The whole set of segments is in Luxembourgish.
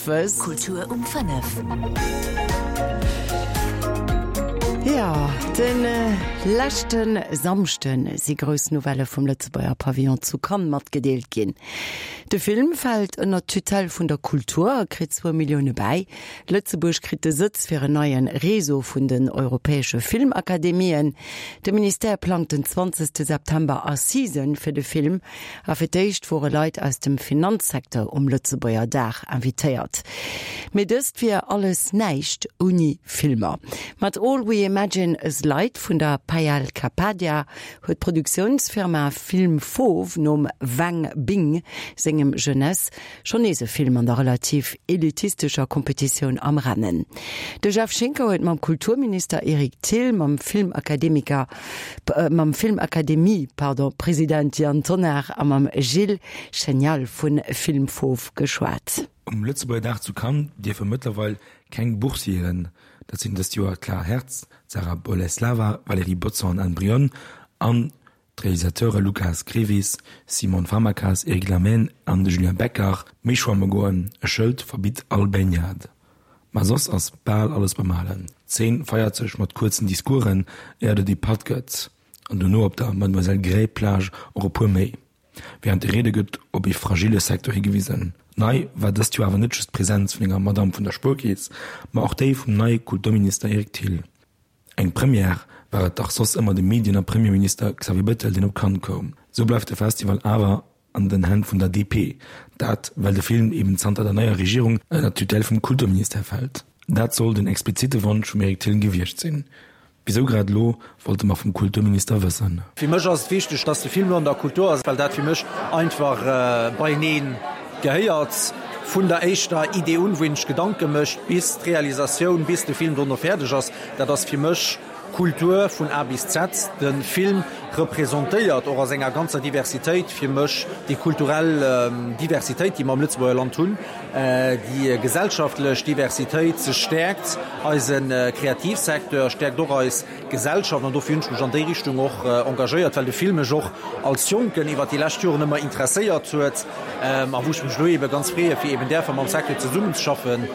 Owes. Kultur um 5. Jo, de leschte Samschde si grouss Nouvellë vum Lëtzebuerger Pavillon zu Cannes matgedeelt ginn. De Film fält ënnert d'Tutelle vun der Kultur a kritt zwou Millioune bäi. Lëtzebuerg kritt de Sëtz fir en neie Réseau vun den europäesche Filmakademien. De Ministère plangt den 20 September Assisen fir de Film. A fir d'éischt wore Leit aus dem Finanzsecteur um Lëtzebuerger Dag invitéiert. Mee dëst wier alles näischt ouni Filmer. Mat All We Imagine As Light vun der Payal Kapadia huet d'Produktiounsfirma Film Fauve nom Wang Bing sengem Jeunesse Schonn nees e Film an der relativ elitistescher Kompetitioun am Rennen. De Jeff Schinker huet mam Kulturminister Eric Thill, mam Filmakademiker, mam Filmakademie, pardon, President Yann Tonnar a mam Gilles Chenial vu Film Fauve geschwat. Um Lëtzebuerger Dag zu Cannes dierfe mëttlerweil keng Boursieren, dat sinn dëst Joer d'Clara Hertz, d'Sarah Boleslava, Valérie Bodson an Anne Brionne, an D'Realisateure Lucas Grevis, Simon Farmakas, Eric Lamhène an de Julien Becker méi schwamme goen, e Schëld verbitt all Baignade. Ma soss ass bal alles beim Alen. D'Zeen feiert sech mat kuerzen Discoursen, éier et ee Patt gëtt, an dono op der Mademoiselle Grey Plage och e puer méi. Wärend de Riede gëtt op ee fragille Secteur higewisen. Nei war dëst Joer awer net just d'Presenz vun enger Madamm vun der Spuerkeess, ma och déi vum neie Kulturminister Eric Thill. Eng Première war et dach soss ëmmer de Medien a Premierminister Xavier Bettel, deen op Cannes koum. Sou bleift de Festival awer an den Hänn vun der DP. Dat well de Film eben zanter der neier Regierung ënner d'Tutelle vum Kulturministère fält. Dat soll den explizite Wonsch vum Eric Thill gewiescht sinn. Wisou grad elo, wollte mer vum Kulturminister wëssen. Fir mech ass et wichteg, dass de Film elo an der Kultur ass, well dat fir mech einfach beienee gehéiert. Vun der éischter Idee un, wou een sech Gedanke mécht, bis d'Realisatioun, bis de Film dono fäerdeg ass. Dat ass fir mech Kultur vun A bis Z. De Film representéiert och a senger ganzer Diversitéit fir mech déi kulturell Diversitéit, déi mer am Lëtzebuerger Land hunn, déi gesellschaftlech Diversitéit. Se stäerkt eise Kreativsecteur, stäerkt och eis Gesellschaft. An dofir hunn ech mech an déi Richtung och engagéiert, well de Film mech och als Jonken iwwer déi lescht Joren ëmmer interesséiert huet. A wou ech mech elo eebe ganz freeë fir eeben däerfe mam Secteur zesummenzeschaffen,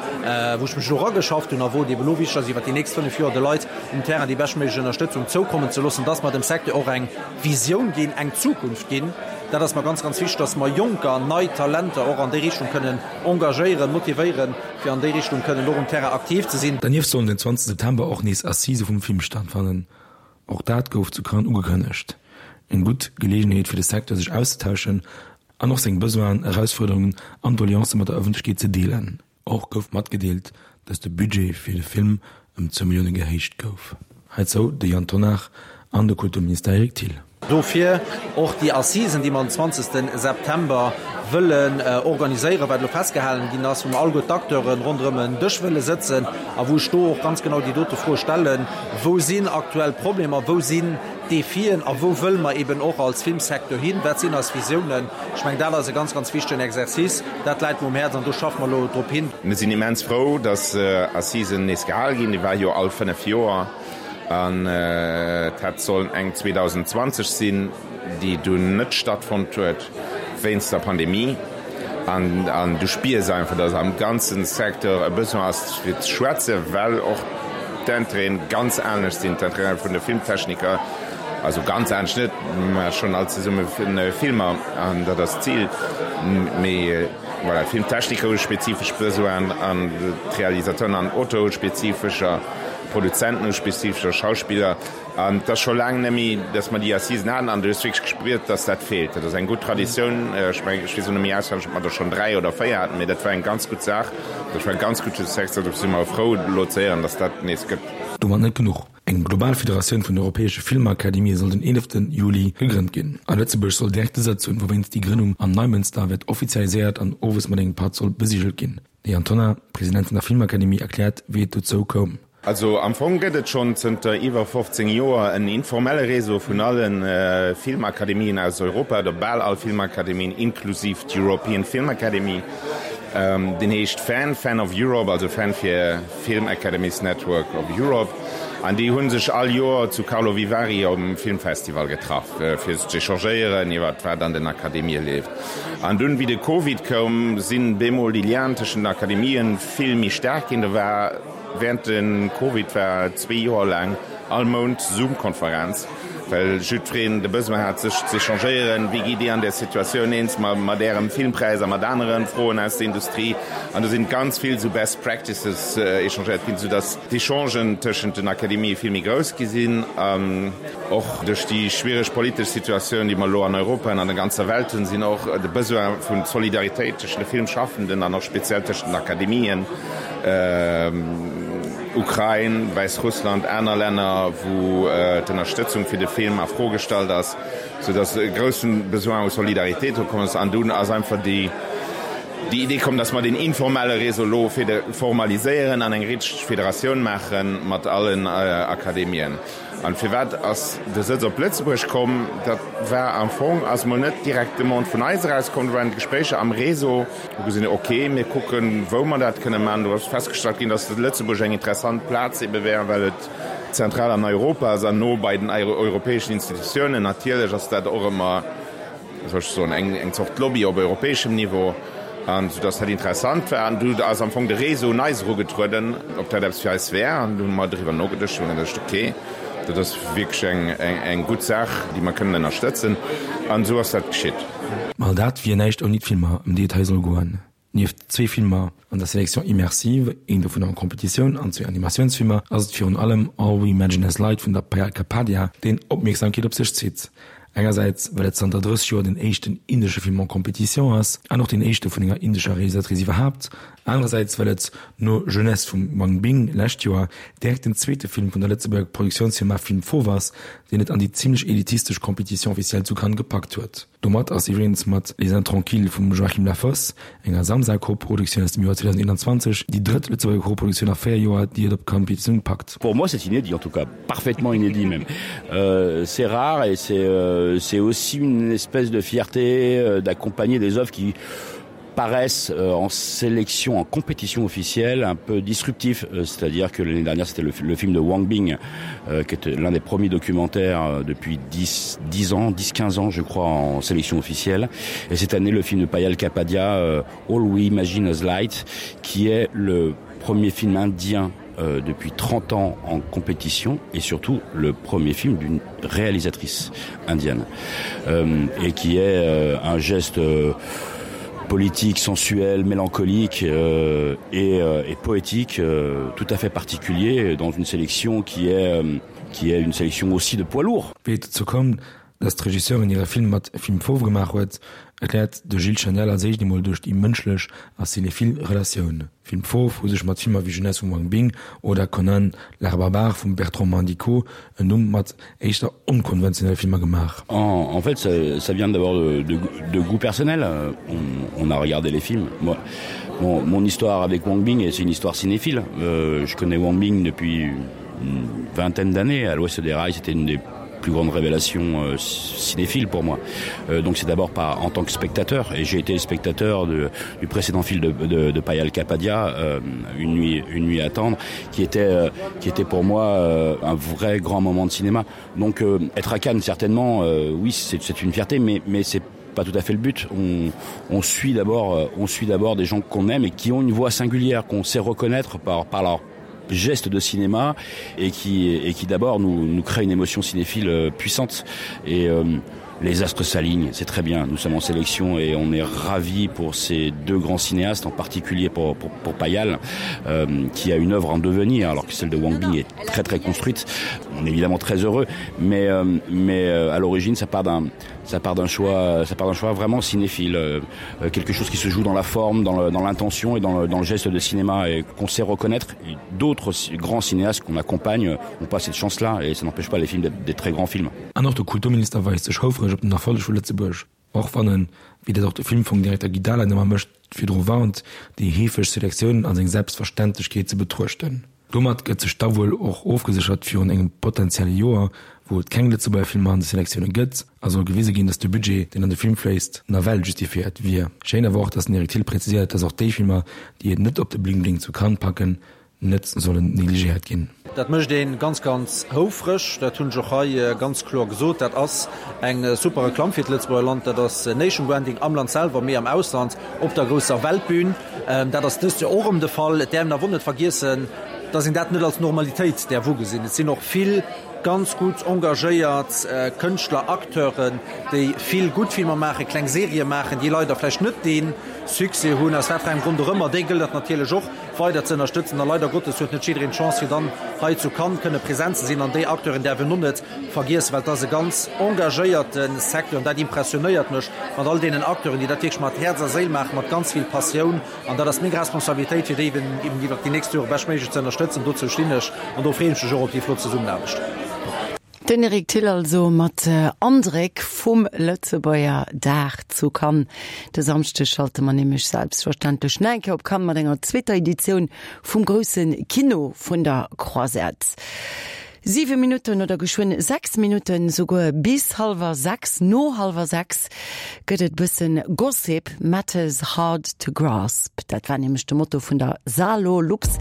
wou ech mech elo erageschafft hunn a wou et eeben elo wichteg ass, iwwert déi nächst 5 Joer de Leit um Terrain déi beschtméiglech Ënnerstëtzung zoukommen ze loossen, dass mer dem Secteur och eng Visioun ginn, eng Zukunft ginn. Dat ass mer ganz, ganz wichteg, dass mer Jonker, nei Talenter och an déi Richtung kënnen engagéieren, motivéieren, fir an déi Richtung kënnen och um Terrain aktiv ze sinn. Dernieft sollen den 20 September och nees Assisë vum Film stattfannen. Och dat gouf zu Cannes ugekënnegt. Eng gutt Geleegenheet fir de Secteur sech auszetauschen an och seng Besoinen, Erausfuerderungen an Doleancë mat der Ëffentlechkeet ze deelen. Och gouf matgedeelt, datt de Budget fir de Film ëm zwou Millioune gehéicht gouf. Heizou de Yann Tonnar an de Kulturminister Eric Thill. Dofir och déi Assisen, déi mer den 20 September wëllen organiséieren, wat elo festgehalen ginn ass, wou mer alleguer d'Acteure ronderëm en Dësch wëlle sëtzen a wou ech do och ganz genau déi dote Froe stellen, Wou sinn aktuell Problemer, wou sinn Defien a wou wëlle mer eben och als Filmsecteur hin, wat sinn eis Visiounen? Ech mengen, dat ass e ganz, ganz wichtegen Exercice. Dat läit mer um Häerz an do schaffe mer elo drop hin. Mir sinn immens frou, dass Assisen nees gehal ginn. Déi war jo all 5 Joer an et hätt sollen eng 2020 sinn, déi dunn net stattfonnt huet wéinst der Pandemie. An du spiers einfach, dass am ganze Secteur e Besoin ass fir ze schwätzen, well och d'Intérêten ganz anescht sinn, d'Intérêten vun de Filmtechniker, also ganz anescht net, mä schonn all zesumme Filmer an dat ass d'Zil. Mee voilà, d'Filmtechniker hu spezifesch Besoinen an d'Realisateuren an Auteure hu spezifescher, d'Produzenten hu spezifescher, Schauspiller. An et ass scho laang net méi, datt mer déi Assisen haten an du hues wierklech gespuert, datt dat feelt. Dat ass eng gutt Traditioun. Ech mengen, ech weess elo net méi auswenneg, ob mer der schonn 3 oder 4 haten, mee dat war eng ganz gutt Saach. Dat war e ganz gudde Secteur. Dofir si mer frou, elo ze héieren, datt dat nees gëtt. Domat net genuch. Eng global Federatioun vun den europäesche Filmakademië soll den 11 Juli gegrënnt ginn. A Lëtzebuerg soll direkt de Sëtz hunn, wouwéinst déi Grënnung am Neimënster wäert offizialiséiert an owes mat engem Patt soll besigelt ginn. De Yann Tonnar, President vun der Filmakademie, erkläert, wéi et dozou koum. Also am Fong gëtt et schonn zënter iwwer 15 Joer en informelle Réseau vun alle Filmakademien aus Europa, oder bal all Filmakademien, inklusiv d'European Film Academy. Deen heescht FAN, Fan of Europe, also Fan fir Film Academies Network of Europe. An déi hu sech all Joer zu Karlovy Vary um Filmfestival getraff, fir z'échangéieren iwwer wat an den Akademië leeft. An dunn, wéi de Covid koum, sinn bemol déi Lienen tëschent den Akademien vill méi staark ginn. Do war während de Covid war zwee Joer laang all Mount Zoom-Konferenz, well jiddwereen de Besoin hat, sech z'échangéieren, Wéi gitt Dir an där Situatioun eens mat Ärem Filmpräis a mat anere Froen aus der Industrie? An do sinn ganz vill esou Best Practices échangéiert ginn, soudass d'Échangen tëschent den Akademië vill méi grouss gi sinn. An och duerch déi schwiereg politesch Situatioun, déi mer elo an Europa an an der ganzer Welt hunn, sinn och de Besoin vu Solidaritéit tëschent de Filmschaffenden an och speziell tëschent den Akademien, Ukrain, Wäissrussland, aner Länner, wou d'Ënnerstëtzung fir de Film a Fro gestallt ass, soudass e grousse Besoin u Solidaritéit do komm ass. An dunn ass einfach déi Idee komm, dass mer deen informelle Réseau elo formaliséieren an eng richteg Federatioun maache mat allen Akademien. An firwat ass de Sëtz op Lëtzebuerg komm? Dat war am Fong, ass mol net direkt d'Demande vun eis eraus komm, do waren d'Gespréicher am Réseau, wou gesinn hunn, ok, mir kucken, wou mer dat kënne maachen. Do ass festgestallt ginn, dass Lëtzebuerg eng interessant Plaz ebe wär, well et zentral an Europa ass an no bei den europäeschen Institutiounen. Natierlech ass dat och ëmmer, wéi soll ech soen, eng eng Zort Lobby op europäeschem Niveau, an soudass dat interessant war. An du ass am Fong de Réseau un eis erugetrueden, ob dat eppes fir eis wär, an du hu mer driwwer nogeduecht hunn geduecht, okay, dat ass wierklech eng eng eng gutt Saach, déi mer kënnen ënnerstëtzen, an esou ass dat geschitt. Ma all dat wier näischt ouni d'Filmer, ëm déi et hei soll goen. Nieft zwee Filmer an der Sélection immersive, een dovun en Competitioun, an zwee Animatiounsfilmer, ass et virun allem All We Imagine As Light vun der Payal Kapadia, deen Opmierksamkeet op sech zitt. Engersäits, well et zanter 30 Joer den éischten indesche Film en compétition ass, an och deen éischte vun enger indescher Realisatrice iwwerhaapt, anerersäits, well et no Jeunesse vum Wang Bing lescht Joer direkt den zweete Film vun der Lëtzebuerger Produktiounsfirma Film Fauve ass, deen et an déi zimmlech elitistesch Compétition officielle zu Cannes gepackt huet. Domat ass iwwregens mat Les Intranquilles vum Joachim Lafosse, enger Samsa-Koproduktioun aus dem Joer 2021, déi drëtt Lëtzebuerger Koproduktioun a 4 Joer, déi et op d'Competitioun packt. Pour moi c'est inédit en tout cas, parfaitement inédit même. Euh, c'est rare et c'est euh, aussi une espèce de fierté euh, d'accompagner des œuvres qui paraissent euh, en sélection en compétition officielle un peu disruptif euh, c'est à dire que l'année dernière c'était le, le film de Wang Bing euh, qui était l'un des premiers documentaires euh, depuis 10 10 ans 10 15 ans je crois en sélection officielle et cette année le film de Payal Kapadia euh, All We Imagine As Light qui est le premier film indien euh, depuis 30 ans en compétition et surtout le premier film d'une réalisatrice indienne euh, et qui est euh, un geste euh, politique sensuel mélancolique euh, et, euh, et poétique euh, tout à fait particulier dans une sélection qui est euh, qui est une sélection aussi de poids lourd. Wéi et dozou koum, datt d'Regisseurin hire Film mat Film Fauve gemaach huet, erkläert de Gilles Chaniel als éischt emol duerch déi mënschlech a cinéphile Relatioun. Film Fauve hu sech mat Filmer wéi Jeunesse vum Wang Bing oder Conan l'art barbare vum Bertrand Mandico en Numm mat éischter onkonventionelle Filmer gemaach. En, en fait ça, ça vient d'abord de, de, de goût personnel. On, on a regardé les films. Moi, mon, mon histoire avec Wang Bing, c'est une histoire cinéphile. Euh, je connais Wang Bing depuis une vingtaine d'années. À l'ouest des rails, c'était une des plus grande révélation euh, cinéphile pour moi euh, donc c'est d'abord pas en tant que spectateur et j'ai été spectateur de, du précédent film de, de, de Payal Kapadia euh, une nuit une nuit à attendre qui était euh, qui était pour moi euh, un vrai grand moment de cinéma donc euh, être à Cannes certainement euh, oui c'est une fierté mais mais c'est pas tout à fait le but on, on suit d'abord euh, on suit d'abord des gens qu'on aime et qui ont une voix singulière qu'on sait reconnaître par par leur geste de cinéma et qui et qui d'abord nous nous crée une émotion cinéphile euh, puissante et euh, les astres s'alignent c'est très bien nous sommes en sélection et on est ravi pour ces deux grands cinéastes en particulier pour pour, pour Payal euh, qui a une œuvre en devenir alors que celle de Wang Bing est très très construite on est évidemment très heureux mais euh, mais euh, à l'origine ça part d'un ça part d'un choix ça part d'un choix vraiment cinéphile euh, quelque chose qui se joue dans la forme dans l'intention et dans le, dans le geste de cinéma et qu'on sait reconnaître d'autres grands cinéastes qu'on accompagne ont pas cette chance là et ça n'empêche pas les films d'être des très grands films. An och de Kulturminister weist sech houfreg op den Erfolleg vu Lëtzebuerg, och wann en, wéi dat och de Filmfongdirekter Guy Dahlen ëmmer mécht, virdru warnt, déi heefeg Selektiounen als eng Selbstverständlechkeet ze betruechten. Domat gëtt sech da wuel och ofgeséchert virun engem potenzielle Joer, wou et keng Lëtzebuerger Filmer an de Selektioune gëtt, a soll gewise ginn, datt de Budget, deen an de Film fléisst, nawell justifiéiert wier. Schéin awer och, datt den Eric Thill präziséiert, datt och déi Filmer, déi et net op de Bling Bling zu Cannes packen, net sollen negligéiert ginn. Dat mécht ee ganz, ganz houfreg. Dat hunn ech och hei ganz kloer gesot. Dat ass eng super Reklamm fir d'Lëtzebuerger Land. Dat ass Nation Branding am Land selwer, mee am Ausland op der grousser Weltbün. Dat ass dëst Joer och erëm de Fall. Et däerf een awer och net vergiessen, dass een dat net als Normalitéit däerf ugesinn. Et sinn och vill ganz gutt engagéiert Kënschtler, Acteuren, déi vill gutt Filmer maachen, kleng Serië maachen, déi leider vläicht net dee Succès hunn, aus wat fir engem Grond och ëmmer. Déi gëllt et natierlech och weider ze ënnerstëtzen. A leider Gottes huet net jiddereen d'Chance, fir dann hei zu Cannes kënne present ze sinn. An déi Acteuren däerf een och net vergiessen, well et ass e ganz engagéierte Secteur. An dat impressionéiert mech mat all deenen Acteuren, déi dat wierklech mat Häerz a Séil maachen, mat ganz vill Passioun. An dat ass meng Responsabilitéit, fir déi eben iwwert déi nächst Jore beschtméiglech ze ënnerstëtzen. Dozou stinn ech an do freeën ech mech och op déi flott Zesummenaarbecht. Den Eric Thill also mat Andréck vum Lëtzebuerger Dag zu Cannes. De Samschdeg schalte mer nämlech selbstverständlech nach eng Kéier op Cannes mat enger zweeter Editioun vum grousse Kino vun der Croisette. Siwe Minutten oder geschwënn 6 Minutten souguer bis hallwer 6, no hallwer 6 gëtt et bëssen Gossip, Matters hard to grasp. Dat war nämlech de Motto vun der SaLoLux.